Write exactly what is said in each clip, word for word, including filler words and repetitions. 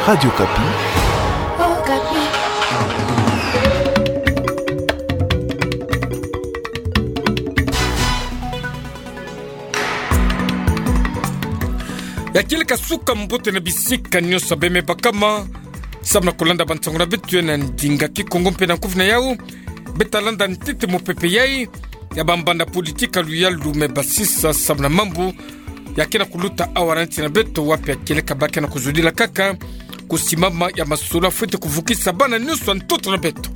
Radio Okapi. Ya kieleka suka mbote na bisika nyonso bemebakama, samu na kulanda bansango na beto na ndinga Kikongo mpe na nkufi na yau, beta landa ntete mopepe yai ya bambanda politika luyalu me basisa samu na mambu ya ke na kuluta awa na nsi na beto, wapi ya kieleka ba ke na kuzudila kaka kusimama ya masolo fwete kuvukisa bana nyonso ya ntoto na beto.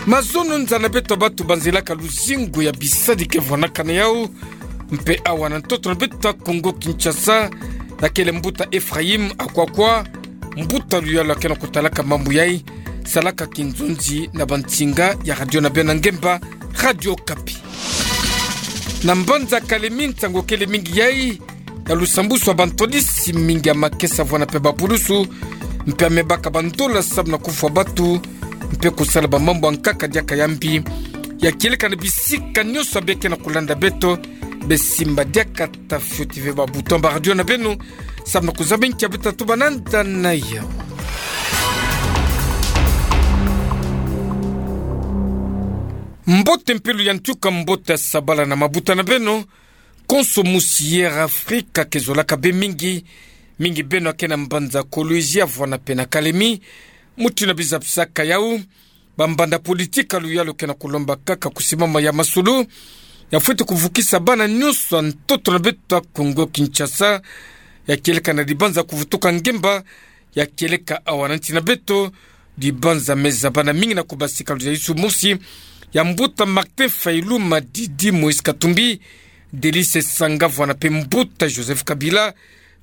Mazono nza na beto, bantu banzilaka luzingu ya bisadi ke vwanakana yau, mpe awa na ntoto na beto ya Kongo Kinshasa, ya kele mbuta Ephraïm Akwakwa, mbuta luyalu ya ke na kutalaka mambu yai, salaka kinzonzi na bansinga ya radio na beno ya ngemba, Radio Okapi. Na mbanza Kalemi, nsango kele mingi yai ya lusambusu ya bantwadisi, mingi ya makesa vwana mpe bapulusu, mpe ya mebaka bandola samu na kufwa bantu, mpe kusala bamambu ya nkaka diaka ya mbi. Ya kieleka na bisika nyonso be ke na kulanda beto, besimba diaka ta fioti ve ba bouton ba radio na beno, samu na kuzaba nkia beta tuba nanda na yau. Mbote mpe luyantika, mbote ya sabala na mabuta na beno, konso musi Air Afrika ke zolaka be mingi, mingi beno ya ke na mbanza Kolwezi vwana mpe na Kalemi, mutindu na biza bisaka yau, bambanda politika luyalu ke na kulomba kaka kusimama ya masolo ya fwete kuvukisa bana nyonso ya ntoto na beto ya Kongo Kinshasa, ya kieleka na dibanza kuvutuka ngemba, ya kieleka awa na nsi na beto, dibanza me zabana mingi na kubasika luzayisu mosi ya mbuta Martin Fayulu, Madidi Moïse Katumbi, Delice Sanga vwana mpe mbuta Joseph Kabila,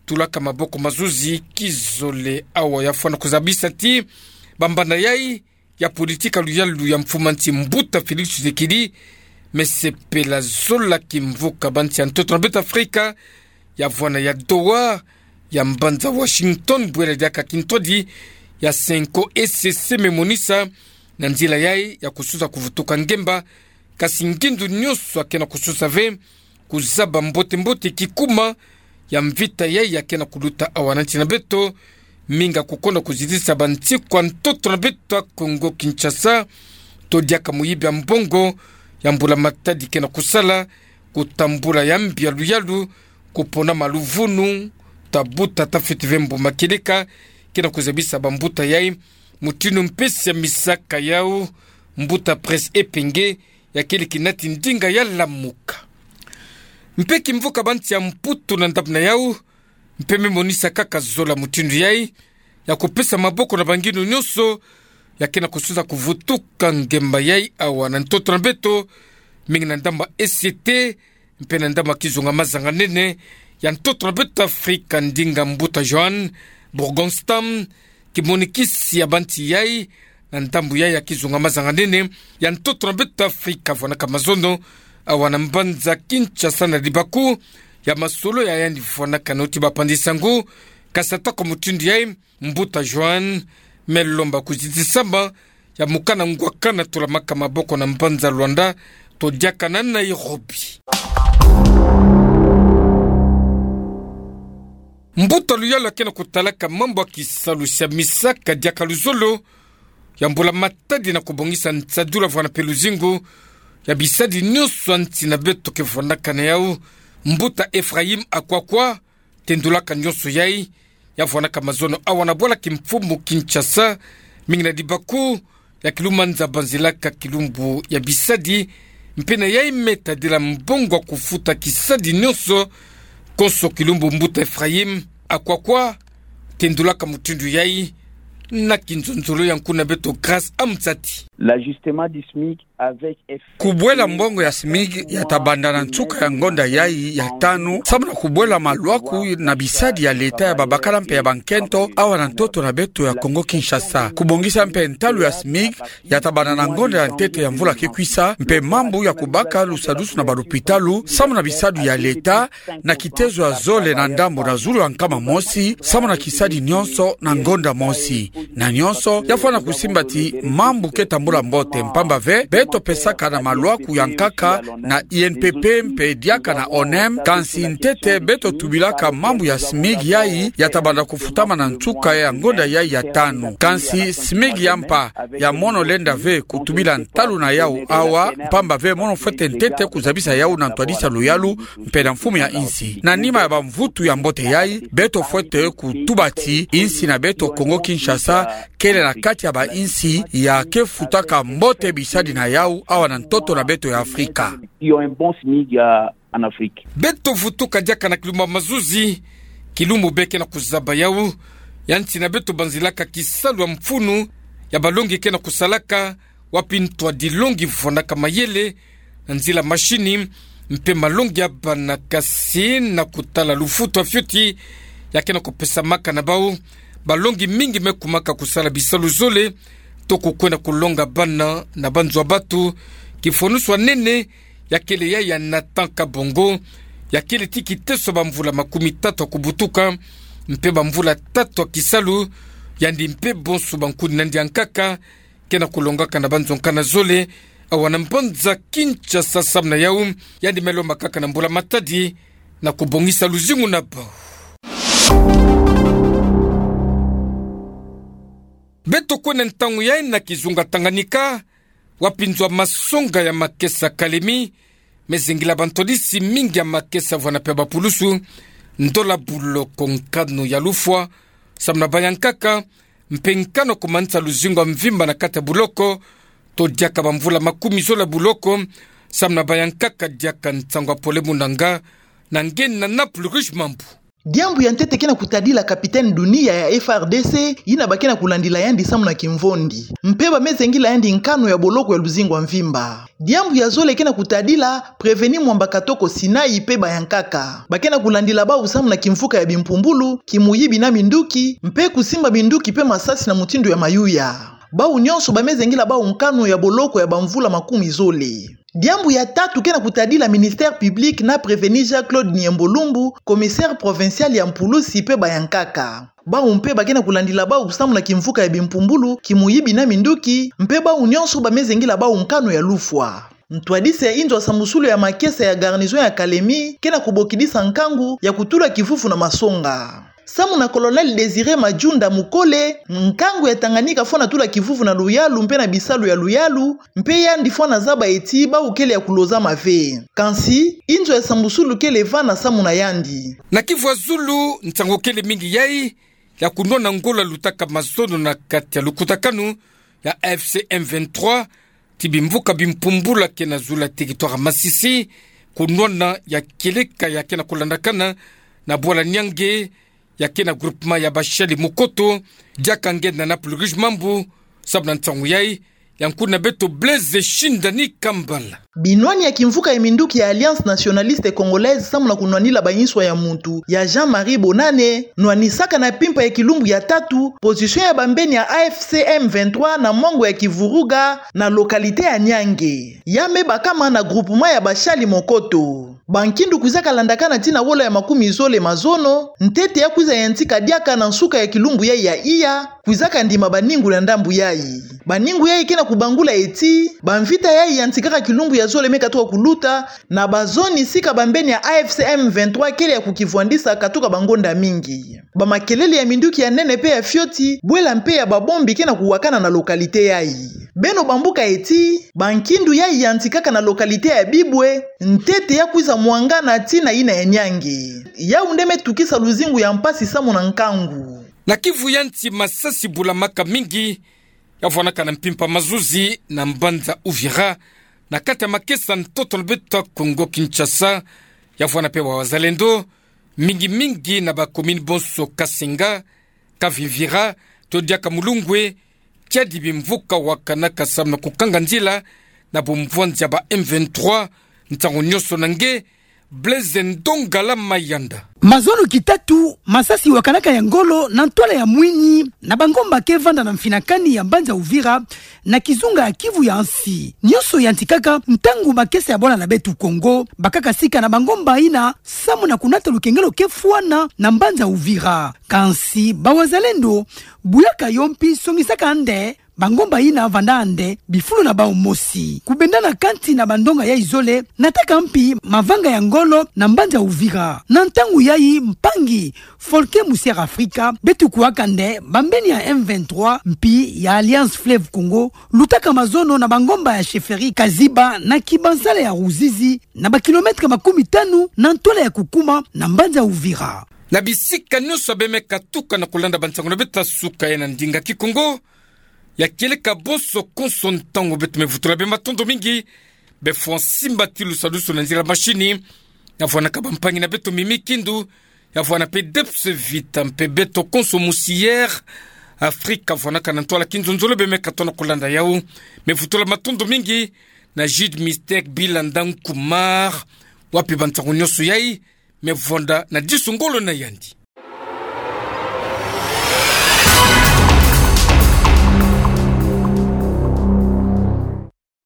tulaka maboko mazuzi kizole. Awa ya fwana kuzabisa ti bambanda yai ya politika luyalu ya mfumu a nsi mbuta Félix Tshisekedi me sepela zola kimvuka bansi ya ntoto na beto Afrika, ya vwana ya Doha, ya mbanza Washington, bwela diaka kintwadi ya Cenco E C C me monisa na nzila yai ya kususa kuvutuka ngemba, kasi ngindu nyonso ya ke na kususa ve kuzaba mbote-mbote kikuma ya mvita yai ya ke na kuluta awa na nsi na beto, mingi ya kukonda kuzitisa bansiku ya ntoto na beto ya Kongo Kinshasa, to diaka muyibi ya mbongo ya mbula-matadi ke na kusala, kutambula ya mbi ya luyalu, kupona maluvunu, ta buta ta fioti ve mbuma kieleka, ke na kuzabisa bambuta yai, mutindu mpesi ya misaka yau, mbuta Prince Epenge, ya kele kinati ndinga ya Lamuka. Mpe kimvuka bansi ya Mputu na ndambu na yau, mpe me monisa kaka zola mutindu yai ya kupesa maboko na bangindu nyonso ya ke na kususa kuvutuka ngemba yai awa na ntoto na beto, mingi na ndambu ya E C T, mpe na ndambu ya kizunga mazanga-nene ya ntoto na beto Afrika, ndinga mbuta Johan Burgonstam, kimonikisi ya bansi yai, na ndambu yai ya kizunga mazanga-nene ya ntoto na beto Afrika, vwanaka mazono awa na mbanza Kinshasa na libaku ya masolo ya yandi vwanaka na uti bapandi-nsangu, kasi ata kwa mutindu yai, mbuta Johan me lomba kuzitisama ya mokana ngwakana tolamaka maboko na mbanza Luanda, to diaka na Nairobi. Mbuta luyalu ya ke na kutalaka mambu ya kisalusi ya misaka diaka luzolo ya mbula-matadi na kubongisa nsadula vwana mpe luzingu ya bisadi nyonso ya nsi na beto ke vwanaka na yau, mbuta Ephraïm Akwakwa, tendulaka nyonso yai, ya vwanaka mazono awa na bwala kimfumu Kinshasa, mingi na libaku ya kilumanza banzilaka kilumbu ya bisadi, mpe na yai me tadila mbongo ya kufuta kisadi nyonso. Konso kilumbu mbuta Ephraïm Akwakwa tendulaka mutindu yai, na kinzonzolo ya nkuna beto Grâce Amzati. L'ajustement du SMIC avec F Kubwela mbongo ya SMIC ya tabanda na nsuka ya ngonda yai ya tanu, samu na kubwela malwaku na bisadi ya leta ya babakala mpe ya bankento awa na ntoto na beto ya Kongo Kinshasa. Kubongisa mpe ntalu ya SMIC ya tabanda na ngonda ya ntete ya mvula ke kwisa, mpe mambu ya kubaka lusadusu na balopitalu, samu na bisadi ya leta, na kitezo ya zole na ndambu na zulu ya nkama mosi, samu na kisadi nyonso na ngonda mosi. Na nyonso, ya fwana kusimba ti mambu ke tambula mbote, mpamba ve, beto topesaka na malwaku ya nkaka na I N P P mpe diaka na O N M, kansi ntete beto tubilaka mambu ya SMIC yayi ya tabanda kufutama na nsuka ya ngonda yayi ya tanu. Kansi SMIC ya mpa ya mono lenda ve kutubila ntalu na yawu awa, mpamba ve mono fwete ntete kuzabisa yawu na ntwadisi ya luyalu mpe na mfumu ya insi. Na nima ya bamvutu ya mbote yayi, beto fwete kutuba ti insi na beto Kongo Kinshasa kele na kati ya bainsi ya kefutaka mbote bisadi na yawu awa na ntoto na beto ya Afrika. Ils ont un bon SMIC en Afrique. Beto vutuka diaka na kilumbu ya mazuzi, kilumbu be ke na kuzaba yawu, yanti na beto banzilaka kisalu ya mfunu ya balongi ke na kusalaka, wapi ntwadilongi vwanaka mayele na nzila mashini, mpe malongi ya bana kasi na kutala lufutu ya fioti ya ke na kupesamaka na bawu. Balongi mingi me kumaka kusala bisalu zole, to kukwenda kulonga bana na banzo ya batu. Kifwanusu ya nene ya kele yayi ya Nathan Kabongo, ya kele ti kiteso bamvula makumi tatu ya kubutuka, mpe bamvula tatu ya kisalu, yandi mpe bonso bankuni nandi ya nkaka ke na kulongaka na banzo nkana zole awa na mbanza Kinshasa. Samu na yawu, yandi me lomba kaka na mbula matadi na kubongisa luzingu na bawu. Beto kwenda ntangu yayi na kizunga Tanganyika, wapi nzo ya masonga ya makesa Kalemi me zingila bantwadisi mingi ya makesa vwana mpe bapulusu, ndola buloko nkanu ya lufwa, samu na baya nkaka, mpe nkanu ya kumanisa luzingu ya mvimba na kati ya buloko, to diaka bamvula makumi zole ya buloko, samu na baya nkaka, diaka nsangu ya Pole Munanga, na nge na Naples Ruge Mambu. Diambu ya ntete ke na kutadila capitaine Dunia ya F R D C, yina ba ke na kulandila yandi samu na kimvondi. Mpe ba me zengila yandi nkanu ya boloko ya luzingu ya mvimba. Diambu ya zole ke na kutadila Prévenu Mwamba Katoko Sinai mpe baya nkaka. Ba ke na kulandila bawu samu na kimvuka ya bimpumbulu, kimuyibi na minduki, mpe kusimba minduki mpe masasi na mutindu ya mayuya. Bawu nyonso ba me zengila bawu nkanu ya boloko ya bamvula makumi zole. Diambu ya tatu ke na kutadila ministère public na Prévenu Jean-Claude Niembo Lumbu, commissaire provincial ya mpulusi mpe baya nkaka. Bawu mpe ba ke na kulandila bawu samu na kimvuka ya bimpumbulu, kimuyibi na minduki, mpe bawu nyonso ba me zengila bawu nkanu ya lufwa. Ntwadisi ya inzo ya sambusulu ya makesa ya garnison ya Kalemi ke na kubokidisa nkangu ya kutula kivuvu na masonga. Samu na Colonel Désiré Majunda Mukole, nkangu ya Tanganyika fwana tula kivuvu na luyalu mpe na bisalu ya luyalu, mpe yandi fwana zaba ti bawu kele ya kulozama ve. Kansi, inzo ya sambusulu kele vana samu na yandi. Na Kivu ya zulu, nsangu kele mingi yayi ya kunwana ngolo ya lutaka mazono na kati ya lukutakanu ya A F C M vingt-trois, ti bimvuka bimpumbulu ya ke na zulu ya territoire ya Masisi, kunwana ya kieleka ya ke na kulandakana na bwala Niangue, ya ke na groupement ya Bashali Mukoto, diaka nge na Naples Ruge Mambu, samu na nsangu yayi, ya nkuna beto Blaise Shindani Kambala. Binwani ya kimvuka ya minduki ya Alliance Nationaliste Congolaise samu na kunwanila banswa ya muntu ya Jean-Marie Bonane, nwanisaka na mpimpa ya kilumbu ya tatu, position ya bambeni ya A F C M vingt-trois na mwango ya Kivuruga na localité ya Niangue. Ya me bakama na groupement ya Bashali Mukoto. Bankindu kwizaka landakana tii na wola ya makumi zole mazono, ntete ya kwiza yantika diaka na nsuka ya kilumbu yayi ya iya, kwizaka ndima baningu na ndambu yayi. Baningu yayi ke na kubangula ti, bamvita yayi yantikaka kilumbu ya zole me katuka kuluta, na bazoni sika bambeni ya A F C M vingt-trois kele ya kukivwandisa katuka bangonda mingi. Bamakelele ya minduki ya nene mpe ya fioti, bwela mpe ya babombi ke na kuwakana na localité yayi. Beno bambuka ti, bankindu yayi yantikaka na localité ya Bibwe, ntete ya kwiza mwangana tii na yina ya Niangue. Yawu nde me tukisa luzingu ya mpasi samu na nkangu. Na Kivu ya nsi, masasi bulamaka mingi, ya vwanaka na mpimpa mazuzi na mbanza Uvira, na kati ya makesa ntoto na beto Kongo Kinshasa, ya vwana mpe bawazalendo, mingi mingi na bakomini bonso Kasenga, Kavimvira, to diaka Mulungwe, tiadi bimvuka wakanaka samu na kukanga nzila na bumvwanzi ya ba M vingt-trois, ntangu nyonso na nge, Blaise Ndongala Mayanda. Mazono kitatu, masasi wakanaka ya ngolo na ntwala ya mwini, na bangomba ke vanda na mfinakani ya mbanza Uvira, na kizunga ya Kivu ya nsi. Nyonso yantikaka ntangu makesa ya bwala na beto Kongo bakaka sika na bangomba yina samu na kunata lukengelo ke fwana na mbanza Uvira. Kansi bawazalendo, buyaka yo mpi songisaka nde bangomba ina vandande bifulu na bau mosi. Kubenda na kanti na bandonga yai zole, nataka mpi mavanga ya ngolo na mbanza Uvira. Na ntangu yai mpangi Folke Musiere Afrika, beto kuwakande bambeni ya M vingt-trois mpi ya Alliance Fleuve Congo, lutaka mazono na bangomba ya chefferie Kaziba na Kibansala ya Ruzizi, na ba kilomètre makumi tanu na ntwala ya kukuma na mbanza Uvira. Na bisika nyonso bemeka tuka na kulanda bansangu na beto ya suka ye na ndinga Kikongo, ya kieleka bonso konso ntangu beto me vutula bê matondo mingi, bê fwa nsimbatilu sadusu na nzila mashini, ya vwanaka bampangi na beto Mimi Kindu, ya vwana pe Debs Vita mpe beto konso Musiere Afrika vwanaka na ntwala kinzonzolo bemeka tona kulanda yau. Me vutula matondo mingi na Jude Mystère Bilanda Nkumar, wapi bansangu nyonso yai me vwanda na disu ngolo na yandi.